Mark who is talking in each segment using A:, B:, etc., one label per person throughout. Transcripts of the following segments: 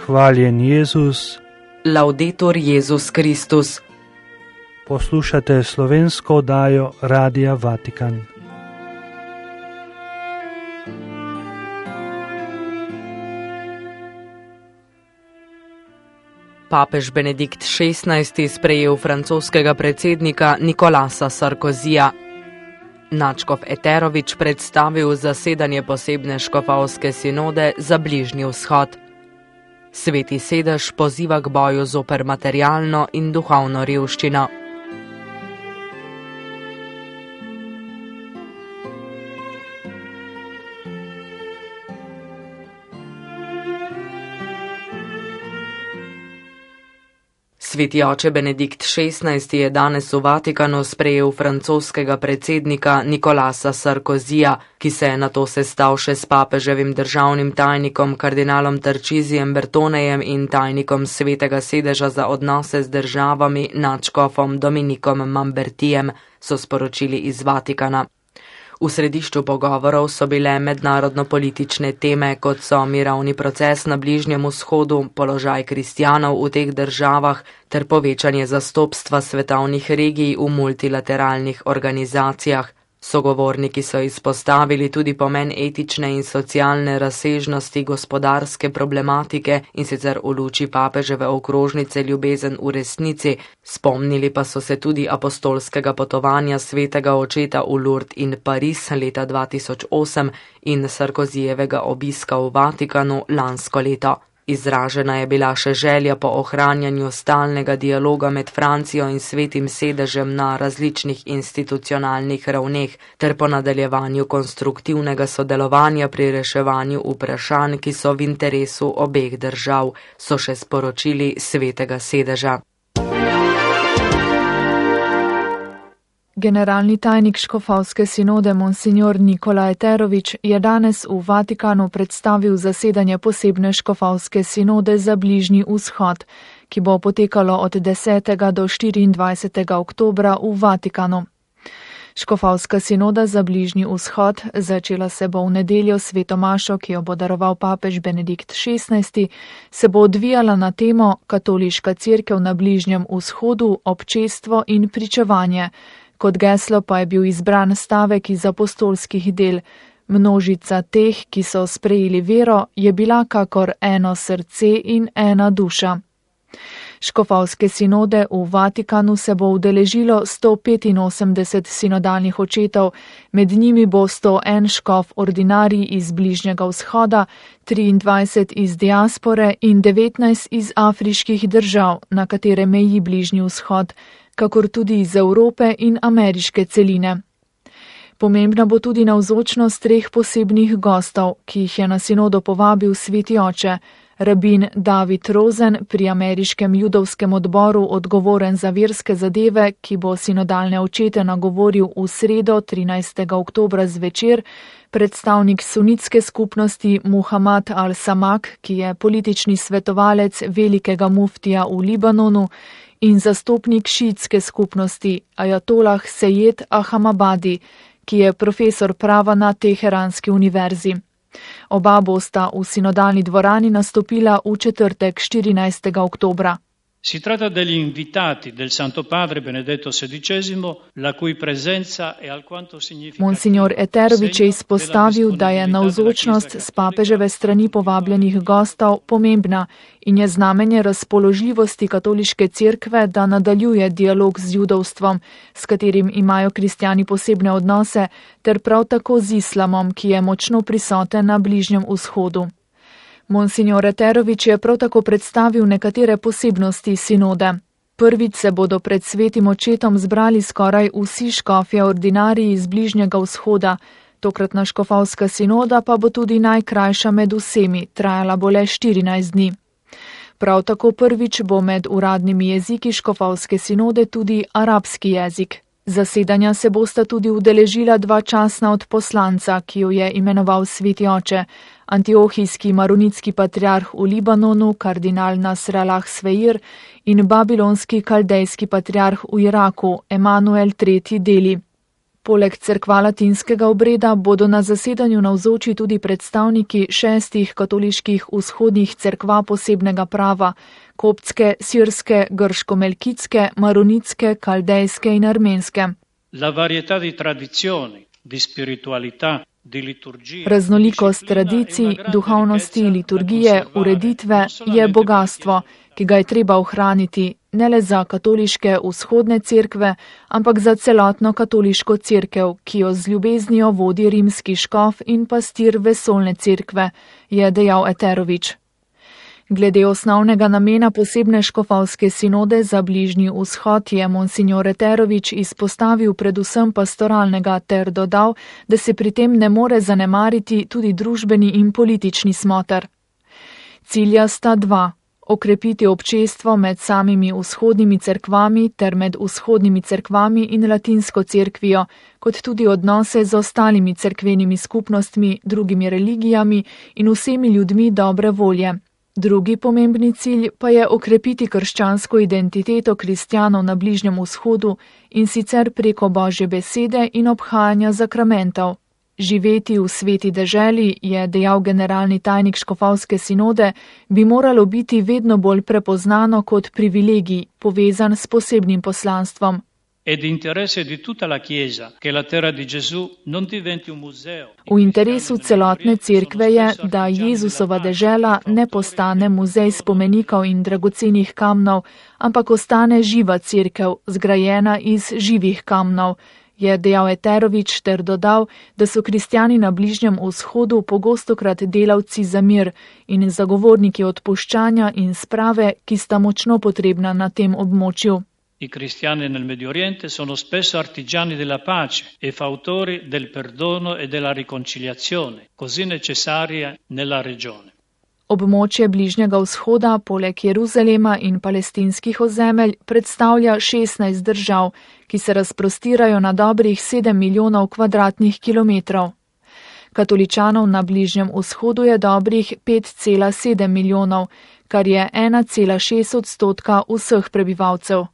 A: Hvaljen Jezus.
B: Laudetur Jezus Kristus.
A: Poslušate slovensko oddajo Radia Vatikan.
B: Papež Benedikt XVI sprejel francoskega predsednika Nicolasa Sarkozyja. Nadškof Eterović predstavil zasedanje posebne škofovske sinode za Bližnji vzhod. Sveti sedež poziva k boju zoper materialno in duhovno revščino. Sveti oče Benedikt XVI je danes v Vatikanu sprejel francoskega predsednika Nicolasa Sarkozyja, ki se je nato sestal še s papeževim državnim tajnikom kardinalom Tarcisijem Bertonejem in tajnikom Svetega sedeža za odnose z državami nadškofom Dominikom Mambertijem, so sporočili iz Vatikana. V središču pogovorov so bile mednarodno-politične teme, kot so mirovni proces na Bližnjem vzhodu, položaj kristjanov v teh državah ter povečanje zastopstva svetovnih regij v multilateralnih organizacijah. Sogovorniki so izpostavili tudi pomen etične in socialne razsežnosti gospodarske problematike in sicer v luči papeževe okrožnice Ljubezen v resnici. Spomnili pa so se tudi apostolskega potovanja svetega očeta v Lourdes in Pariz leta 2008 in Sarkozyjevega obiska v Vatikanu lansko leto. Izražena je bila še želja po ohranjanju stalnega dialoga med Francijo in Svetim sedežem na različnih institucionalnih ravneh ter po nadaljevanju konstruktivnega sodelovanja pri reševanju vprašanj, ki so v interesu obeh držav, so še sporočili Svetega sedeža.
C: Generalni tajnik škofovske sinode Monsignor Nikola Eterović je danes v Vatikanu predstavil zasedanje posebne škofovske sinode za Bližnji vzhod, ki bo potekalo od 10. do 24. oktobra v Vatikanu. Škofovska sinoda za Bližnji vzhod začela se bo v nedeljo sveto mašo, ki jo bo daroval papež Benedikt XVI, se bo odvijala na temo Katoliška cerkev na Bližnjem vzhodu, občestvo in pričevanje. Kot geslo pa je bil izbran stavek iz apostolskih del. Množica teh, ki so sprejeli vero, je bila kakor eno srce in ena duša. Škofovske sinode v Vatikanu se bo udeležilo 185 sinodalnih očetov, med njimi bo 101 škof ordinarij iz Bližnjega vzhoda, 23 iz diaspore in 19 iz afriških držav, na katere meji Bližnji vzhod, kakor tudi iz Evrope in ameriške celine. Pomembna bo tudi navzočnost 3 posebnih gostov, ki jih je na sinodo povabil sveti oče, rabin David Rosen pri ameriškem judovskem odboru odgovoren za verske zadeve, ki bo sinodalne očete nagovoril v sredo 13. oktobra zvečer, predstavnik sunitske skupnosti Muhammad al-Samak, ki je politični svetovalec velikega muftija v Libanonu, in zastopnik šiitske skupnosti Ajatolah Sejed Ahamabadi, ki je profesor prava na Teheranski univerzi. Oba bosta v sinodalni dvorani nastopila v četrtek 14. oktobra.
D: Si tratta degli invitati del Santo Padre Benedetto XVI, la cui presenza è alquanto significativa.
C: Monsignor Eterović je izpostavil, da je navzočnost s papeževe strani povabljenih gostov pomembna in je znamenje razpoložljivosti katoliške cerkve, da nadaljuje dialog z judovstvom, s katerim imajo kristjani posebne odnose, ter prav tako z islamom, ki je močno prisoten na Bližnjem vzhodu. Monsignor Eterović je prav tako predstavil nekatere posebnosti sinode. Prvič se bodo pred svetim očetom zbrali skoraj vsi škofje ordinariji iz Bližnjega vzhoda. Tokratna škofovska sinoda pa bo tudi najkrajša med vsemi, trajala bo le 14 dni. Prav tako prvič bo med uradnimi jeziki škofovske sinode tudi arabski jezik. Zasedanja se bosta tudi udeležila 2 častna odposlanca, ki jo je imenoval sveti oče, antiohijski maronitski patriarh v Libanonu, kardinal Nasr Allah Sveir, in babilonski kaldejski patriarh v Iraku, Emanuel III. Deli. Poleg cerkva latinskega obreda bodo na zasedanju navzoči tudi predstavniki 6 katoliških vzhodnih cerkva posebnega prava, koptske, sirske, grško-melkitske, maronitske, kaldejske in armenske. Raznolikost tradicij, duhovnosti, liturgije, ureditve je bogatstvo, ki ga je treba ohraniti ne le za katoliške vzhodne cerkve, ampak za celotno katoliško cerkev, ki jo z ljubeznijo vodi rimski škof in pastir vesoljne cerkve, je dejal Eterović. Glede osnovnega namena posebne škofovske sinode za Bližnji vzhod je monsignor Eterović izpostavil predvsem pastoralnega ter dodal, da se pri tem ne more zanemariti tudi družbeni in politični smoter. Cilja sta dva. Okrepiti občestvo med samimi vzhodnimi cerkvami ter med vzhodnimi cerkvami in latinsko cerkvijo, kot tudi odnose z ostalimi cerkvenimi skupnostmi, drugimi religijami in vsemi ljudmi dobre volje. Drugi pomembni cilj pa je okrepiti krščansko identiteto kristjanov na Bližnjem vzhodu in sicer preko Božje besede in obhajanja zakramentov. Živeti v sveti deželi, je dejal generalni tajnik škofovske sinode, bi moralo biti vedno bolj prepoznano kot privilegij, povezan s posebnim poslanstvom. V interesu celotne cerkve je, da Jezusova dežela ne postane muzej spomenikov in dragocenih kamnov, ampak ostane živa cerkev, zgrajena iz živih kamnov, je dejal Eterović ter dodal, da so kristjani na Bližnjem vzhodu pogostokrat delavci za mir in zagovorniki odpuščanja in sprave, ki sta močno potrebna na tem območju.
D: I cristiani nel Medio Oriente sono spesso artigiani della pace e fautori del perdono e della riconciliazione, così necessaria nella regione.
C: Območje Bližnjega vzhoda, poleg Jeruzalema in palestinskih ozemelj, predstavlja 16 držav, ki se razprostirajo na dobrih 7 milijonov kvadratnih kilometrov. Katoličanov na Bližnjem vzhodu je dobrih 5,7 milijonov, kar je 1,6% vseh prebivalcev.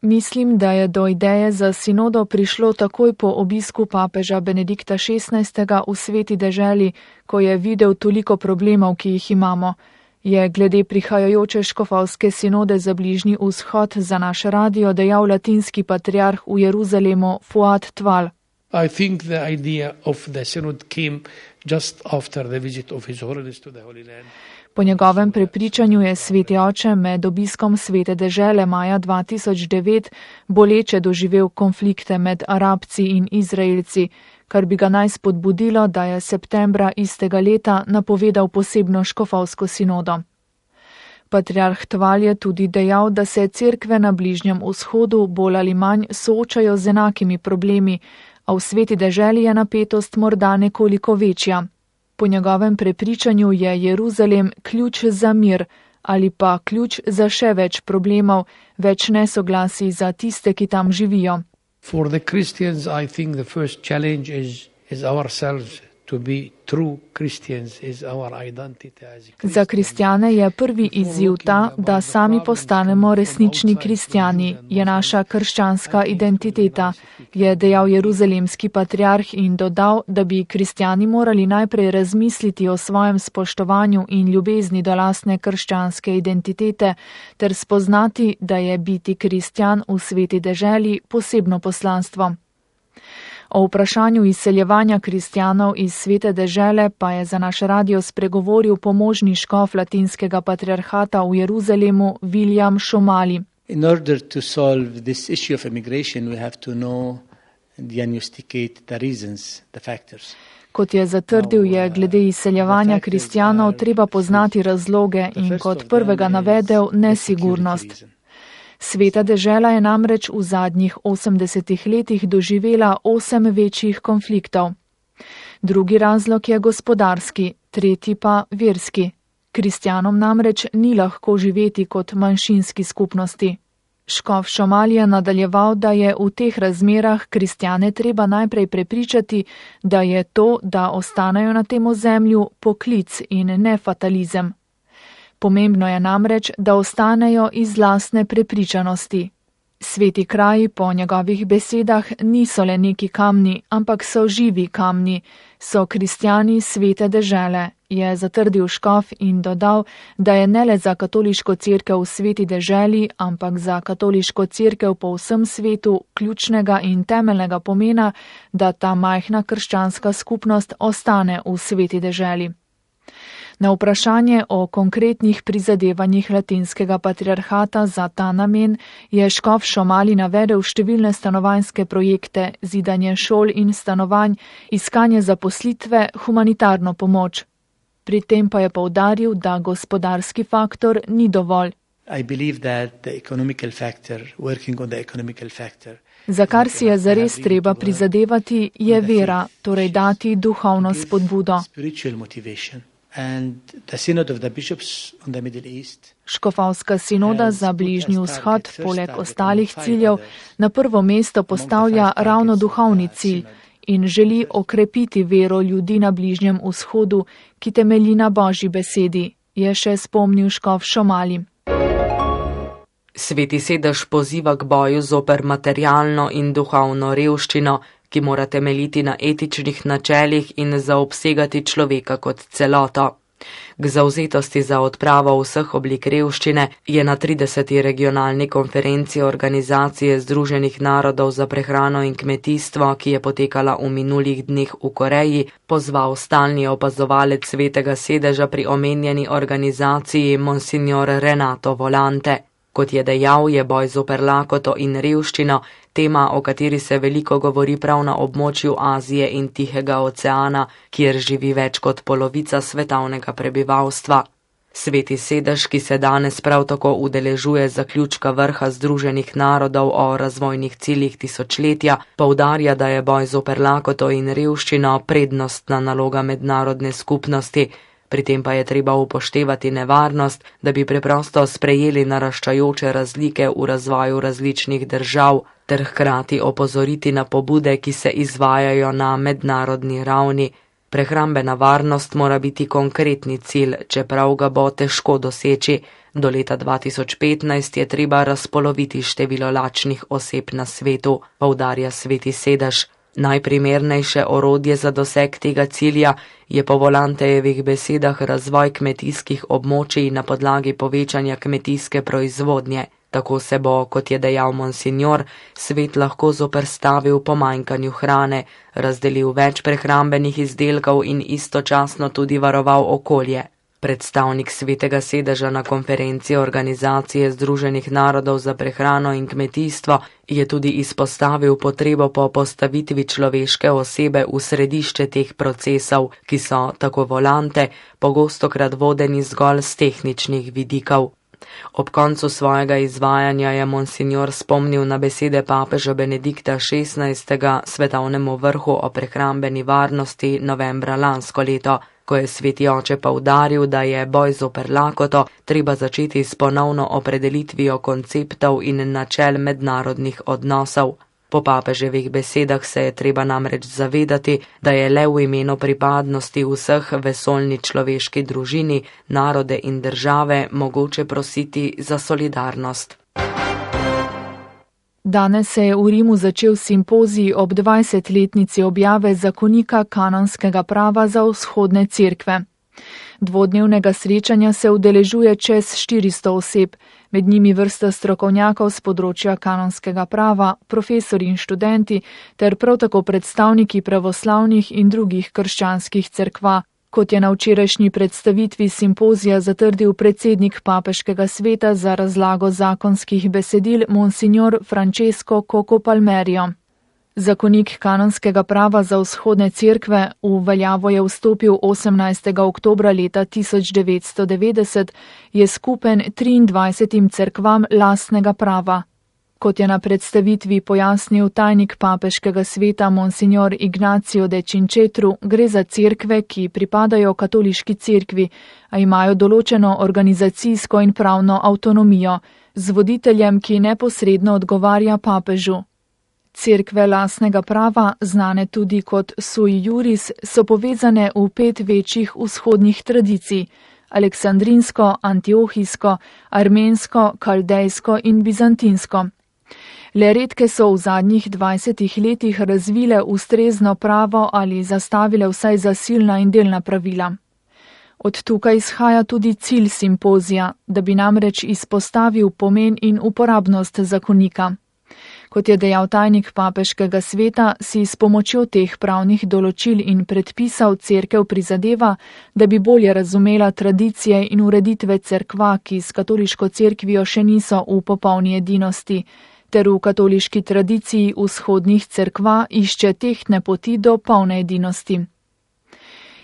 C: Mislim, da je do ideje za sinodo prišlo takoj po obisku papeža Benedikta XVI. V sveti deželi, ko je videl toliko problemov, ki jih imamo, je glede prihajajoče škofovske sinode za Bližnji vzhod za naš radio dejal latinski patriarh v Jeruzalemu Fuad Tval.
E: I think the idea of the synod came just after the visit of His Holiness to the Holy Land.
C: Po njegovem prepričanju je sveti oče med obiskom svete dežele maja 2009 boleče doživel konflikte med Arabci in Izraelci, kar bi ga naj spodbudilo, da je septembra istega leta napovedal posebno škofovsko sinodo. Patriarh Tval je tudi dejal, da se cerkve na Bližnjem vzhodu bolj ali manj soočajo z enakimi problemi, a v sveti deželi je napetost morda nekoliko večja. Po njegovem prepričanju je Jeruzalem ključ za mir ali pa ključ za še več problemov, več nesoglasij za tiste, ki tam živijo.
E: For the Christians, I think the first challenge is ourselves. To be true Christians is our identity as Christians.
C: Za kristjane je prvi izziv ta, da sami postanemo resnični kristjani, je naša krščanska identiteta, je dejal jeruzalemski patriarh in dodal, da bi kristjani morali najprej razmisliti o svojem spoštovanju in ljubezni do lastne krščanske identitete ter spoznati, da je biti kristjan v sveti deželi posebno poslanstvo. O vprašanju izseljevanja kristjanov iz svete dežele pa je za naš radio spregovoril pomožni škof latinskega patriarhata v Jeruzalemu William Šomali.
F: In order to solve this issue of immigration, we have to know, diagnosticate the reasons, the factors.
C: Kot je zatrdil, je glede izseljevanja kristjanov treba poznati razloge in kot prvega navedel nesigurnost. Sveta dežela je namreč v zadnjih 80 letih doživela 8 večjih konfliktov. Drugi razlog je gospodarski, tretji pa verski. Kristjanom namreč ni lahko živeti kot manjšinski skupnosti. Škof Šomal je nadaljeval, da je v teh razmerah kristjane treba najprej prepričati, da je to, da ostanejo na tem ozemlju, poklic in ne fatalizem. Pomembno je namreč, da ostanejo iz lastne prepričanosti. Sveti kraji po njegovih besedah niso le neki kamni, ampak so živi kamni, so kristjani svete dežele, je zatrdil škof in dodal, da je ne le za katoliško cerkev v sveti deželi, ampak za katoliško cerkev po vsem svetu ključnega in temeljnega pomena, da ta majhna krščanska skupnost ostane v sveti deželi. Na vprašanje o konkretnih prizadevanjih latinskega patriarhata za ta namen je škof Šomali navedel številne stanovanjske projekte, zidanje šol in stanovanj, iskanje zaposlitve, humanitarno pomoč. Pri tem pa je poudaril, da gospodarski faktor ni dovolj. Za kar si je zares treba prizadevati, je vera, torej dati duhovno spodbudo. Škofovska sinoda za Bližnji vzhod, poleg ostalih ciljev, na prvo mesto postavlja ravno duhovni cilj in želi okrepiti vero ljudi na Bližnjem vzhodu, ki temelji na Božji besedi, je še spomnil škof Šomali.
B: Sveti sedež poziva k boju zoper materialno in duhovno revščino, ki mora temeljiti na etičnih načelih in zaobsegati človeka kot celoto. K zavzetosti za odpravo vseh oblik revščine je na 30. regionalni konferenci Organizacije Združenih narodov za prehrano in kmetijstvo, ki je potekala v minulih dneh v Koreji, pozval stalni opazovalec Svetega sedeža pri omenjeni organizaciji Monsignor Renato Volante. Kot je dejal, je boj zoper lakoto in revščino tema, o kateri se veliko govori prav na območju Azije in Tihega oceana, kjer živi več kot polovica svetovnega prebivalstva. Sveti sedež, ki se danes prav tako udeležuje zaključka vrha Združenih narodov o razvojnih ciljih tisočletja, poudarja, da je boj zoper lakoto in revščino prednostna naloga mednarodne skupnosti. Pri tem pa je treba upoštevati nevarnost, da bi preprosto sprejeli naraščajoče razlike v razvoju različnih držav, ter hkrati opozoriti na pobude, ki se izvajajo na mednarodni ravni. Prehrambena varnost mora biti konkretni cilj, čeprav ga bo težko doseči. Do leta 2015 je treba razpoloviti število lačnih oseb na svetu, poudarja Sveti sedež. Najprimernejše orodje za doseg tega cilja je po Volantejevih besedah razvoj kmetijskih območij na podlagi povečanja kmetijske proizvodnje. Tako se bo, kot je dejal Monsignor, svet lahko zoperstavil pomanjkanju hrane, razdelil več prehrambenih izdelkov in istočasno tudi varoval okolje. Predstavnik Svetega sedeža na konferenci Organizacije Združenih narodov za prehrano in kmetijstvo je tudi izpostavil potrebo po postavitvi človeške osebe v središče teh procesov, ki so, tako Volante, pogostokrat vodeni zgolj z tehničnih vidikov. Ob koncu svojega izvajanja je Monsignor spomnil na besede papeža Benedikta XVI. Svetovnemu vrhu o prehrambeni varnosti novembra lansko leto, ko je Sveti oče poudaril, da je boj zoper lakoto treba začeti s ponovno opredelitvijo konceptov in načel mednarodnih odnosov. Po papeževih besedah se je treba namreč zavedati, da je le v imenu pripadnosti vseh vesoljni človeški družini, narode in države mogoče prositi za solidarnost.
C: Danes se je v Rimu začel simpozij ob 20-letnici objave zakonika kanonskega prava za vzhodne cerkve. Dvodnevnega srečanja se udeležuje čez 400 oseb, med njimi vrsta strokovnjakov z področja kanonskega prava, profesori in študenti, ter prav tako predstavniki pravoslavnih in drugih krščanskih cerkva. Kot je na včerajšnji predstavitvi simpozija zatrdil predsednik papeškega sveta za razlago zakonskih besedil Monsignor Francesco Coco Palmerio. Zakonik kanonskega prava za vzhodne cerkve v veljavo je vstopil 18. oktobra leta 1990, je skupen 23 cerkvam lastnega prava. Kot je na predstavitvi pojasnil tajnik papeškega sveta Monsignor Ignacio de Cincetru, gre za cerkve, ki pripadajo katoliški cerkvi, a imajo določeno organizacijsko in pravno avtonomijo, z voditeljem, ki neposredno odgovarja papežu. Cerkve lastnega prava, znane tudi kot sui juris, so povezane v 5 večjih vzhodnih tradicij: aleksandrinsko, antiohijsko, armensko, kaldejsko in bizantinsko. Le redke so v zadnjih 20 letih razvile ustrezno pravo ali zastavile vsaj zasilna in delna pravila. Od tukaj izhaja tudi cilj simpozija, da bi namreč izpostavil pomen in uporabnost zakonika. Kot je dejal tajnik papeškega sveta, si s pomočjo teh pravnih določil in predpisov cerkev prizadeva, da bi bolje razumela tradicije in ureditve cerkva, ki s katoliško cerkvijo še niso v popolni edinosti, ter v katoliški tradiciji vzhodnih cerkva išče tehtne poti do polne edinosti.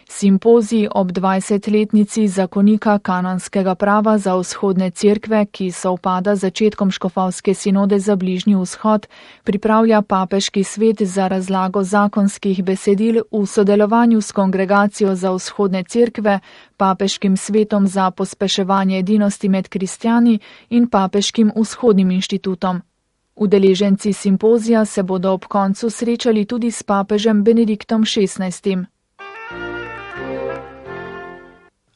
C: Simpozij ob 20-letnici zakonika kanonskega prava za vzhodne cerkve, ki sovpada z začetkom škofovske sinode za Bližnji vzhod, pripravlja papeški svet za razlago zakonskih besedil v sodelovanju s Kongregacijo za vzhodne cerkve, papeškim svetom za pospeševanje edinosti med kristjani in papeškim vzhodnim inštitutom. Udeleženci simpozija se bodo ob koncu srečali tudi s papežem Benediktom XVI.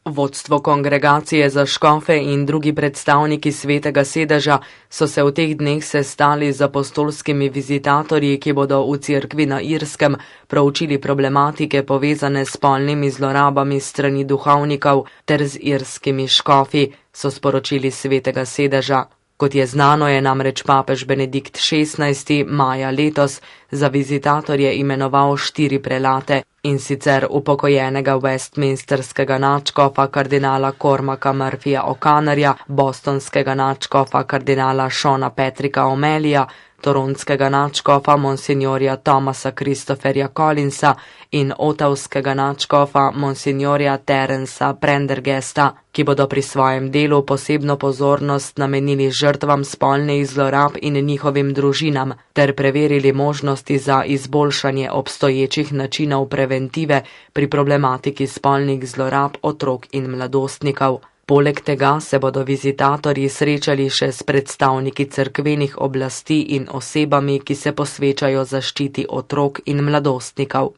B: Vodstvo Kongregacije za škofe in drugi predstavniki Svetega sedeža so se v teh dneh sestali z apostolskimi vizitatorji, ki bodo v cerkvi na Irskem proučili problematike povezane s spolnimi zlorabami strani duhovnikov ter z irskimi škofi, so sporočili Svetega sedeža. Kot je znano, je namreč papež Benedikt XVI. Maja letos za vizitatorje imenoval 4 prelate, in sicer upokojenega westminsterskega nadškofa kardinala Cormaca Murphyja O'Connorja, bostonskega nadškofa kardinala Seana Patricka O'Malleyja, toronskega nadškofa monsignorja Thomasa Christopherja Collinsa in otavskega nadškofa monsignorja Terensa Prendergasta, ki bodo pri svojem delu posebno pozornost namenili žrtvam spolnih zlorab in njihovim družinam, ter preverili možnosti za izboljšanje obstoječih načinov preventive pri problematiki spolnih zlorab otrok in mladostnikov. Poleg tega se bodo vizitatorji srečali še s predstavniki cerkvenih oblasti in osebami, ki se posvečajo zaščiti otrok in mladostnikov.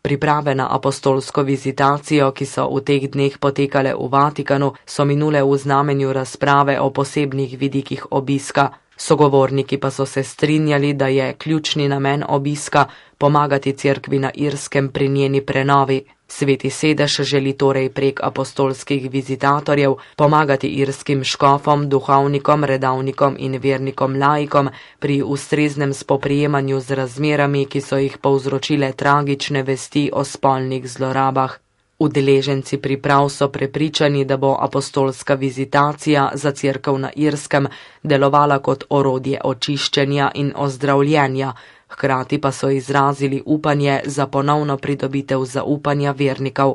B: Priprave na apostolsko vizitacijo, ki so v teh dneh potekale v Vatikanu, so minule v znamenju razprave o posebnih vidikih obiska. Sogovorniki pa so se strinjali, da je ključni namen obiska pomagati cerkvi na Irskem pri njeni prenovi. Sveti sedež želi torej prek apostolskih vizitatorjev pomagati irskim škofom, duhovnikom, redavnikom in vernikom laikom pri ustreznem spoprijemanju z razmerami, ki so jih povzročile tragične vesti o spolnih zlorabah. Udeleženci priprav so prepričani, da bo apostolska vizitacija za cerkev na Irskem delovala kot orodje očiščenja in ozdravljenja, hkrati pa so izrazili upanje za ponovno pridobitev zaupanja vernikov.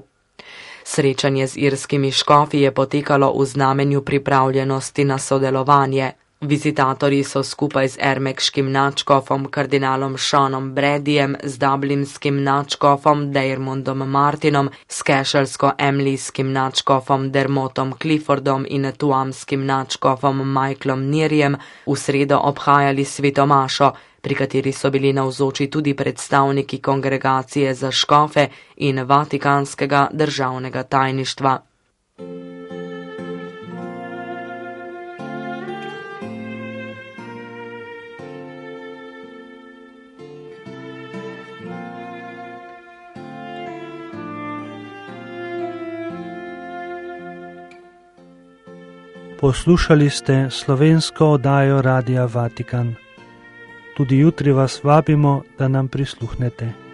B: Srečanje z irskimi škofi je potekalo v znamenju pripravljenosti na sodelovanje. Vizitatorji so skupaj z ermekškim nadškofom kardinalom Seanom Bradyjem, z dublinskim nadškofom Diarmuidom Martinom, s kešelsko-emlijskim nadškofom Dermotom Cliffordom in tuamskim nadškofom Michaelom Nearjem v sredo obhajali svetomašo, pri kateri so bili navzoči tudi predstavniki Kongregacije za škofe in Vatikanskega državnega tajništva.
A: Poslušali ste slovensko oddajo Radia Vatikan. Tudi jutri vas vabimo, da nam prisluhnete.